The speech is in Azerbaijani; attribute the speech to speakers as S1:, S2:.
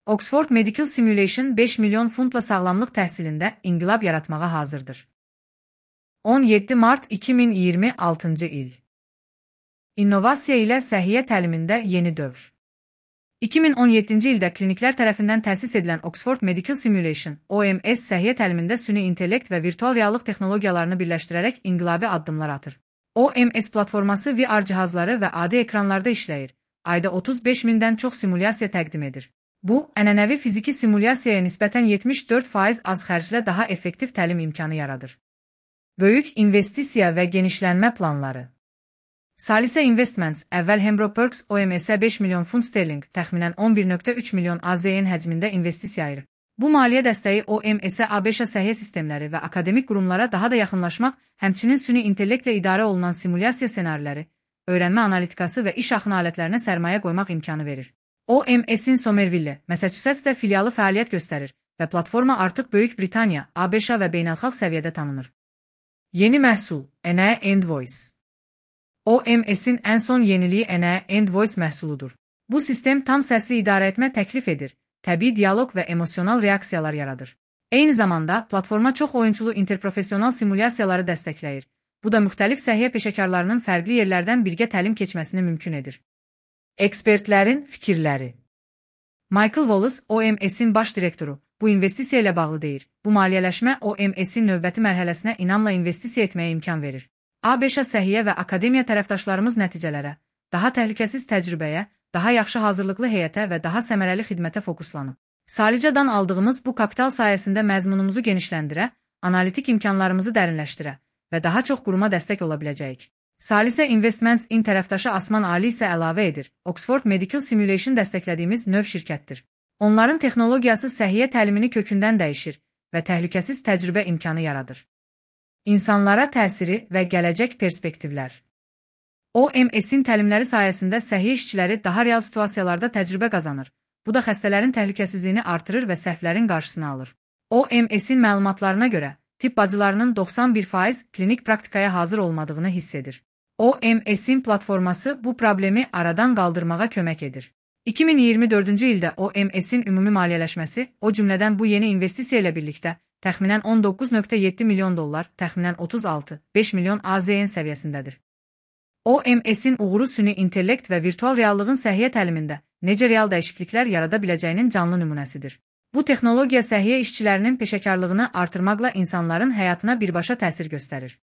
S1: Oxford Medical Simulation 5 milyon funtla sağlamlıq təhsilində inqilab yaratmağa hazırdır. 17 mart 2026 il. İnnovasiya ilə səhiyyə təlimində yeni dövr. 2017-ci ildə kliniklər tərəfindən təsis edilən Oxford Medical Simulation, OMS səhiyyə təlimində süni intellekt və virtual reallıq texnologiyalarını birləşdirərək inqilabi addımlar atır. OMS platforması VR cihazları və adi ekranlarda işləyir. Ayda 35 mindən çox simulyasiya təqdim edir. Bu, ənənəvi fiziki simulyasiyaya nisbətən 74% az xərclə daha effektiv təlim imkanı yaradır. Böyük investisiya və genişlənmə planları. Salisə Investments əvvəl Hembro Perks OMS-ə 5 milyon funt sterling, təxminən 11,3 milyon AZN həcmində investisiya ayırır. Bu maliyyə dəstəyi OMS-ə ABŞ səhiyyə sistemləri və akademik qurumlara daha da yaxınlaşmaq, həmçinin süni intellektlə idarə olunan simulyasiya ssenariləri, öyrənmə analitikası və iş axını alətlərinə sərmayə qoymaq imkanı verir. OMS-in Somerville, Massachusettsdə filialı fəaliyyət göstərir və platforma artıq Böyük Britaniya, ABŞ və beynəlxalq səviyyədə tanınır. Yeni məhsul, NA Endvoice. OMS-in ən son yeniliyi NA Endvoice məhsuludur. Bu sistem tam səsli idarə etmə təklif edir, təbii dialoq və emosional reaksiyalar yaradır. Eyni zamanda, platforma çox oyunçulu interprofessional simulyasiyaları dəstəkləyir. Bu da müxtəlif səhiyyə peşəkarlarının fərqli yerlərdən birgə təlim keçməsini mümkün edir. Ekspertlərin fikirləri. Michael Wallace, OMS-in baş direktoru, bu investisiya ilə bağlı deyir. Bu maliyyələşmə OMS-in növbəti mərhələsinə inamla investisiya etməyə imkan verir. ABŞ səhiyyə və akademiya tərəfdaşlarımız nəticələrə, daha təhlükəsiz təcrübəyə, daha yaxşı hazırlıqlı heyətə və daha səmərəli xidmətə fokuslanıb. Salicadan aldığımız bu kapital sayəsində məzmunumuzu genişləndirə, analitik imkanlarımızı dərinləşdirə və daha çox quruma dəstək ola biləcəyik. Salisə Investments-in tərəfdaşı Asman Ali isə əlavə edir, Oxford Medical Simulation dəstəklədiyimiz növ şirkətdir. Onların texnologiyası səhiyyə təlimini kökündən dəyişir və təhlükəsiz təcrübə imkanı yaradır. İnsanlara təsiri və gələcək perspektivlər. OMS-in təlimləri sayəsində səhiyyə işçiləri daha real situasiyalarda təcrübə qazanır. Bu da xəstələrin təhlükəsizliyini artırır və səhvlərin qarşısını alır. OMS-in məlumatlarına görə, tibb bacılarının 91% klinik praktikaya hazır olmadığını hiss edir. OMS-in platforması bu problemi aradan qaldırmağa kömək edir. 2024-cü ildə OMS-in ümumi maliyyələşməsi, o cümlədən bu yeni investisiya ilə birlikdə, təxminən 19,7 milyon dollar, təxminən 36,5 milyon AZN səviyyəsindədir. OMS-in uğuru süni intellekt və virtual reallığın səhiyyə təlimində necə real dəyişikliklər yarada biləcəyinin canlı nümunəsidir. Bu texnologiya səhiyyə işçilərinin peşəkarlığını artırmaqla insanların həyatına birbaşa təsir göstərir.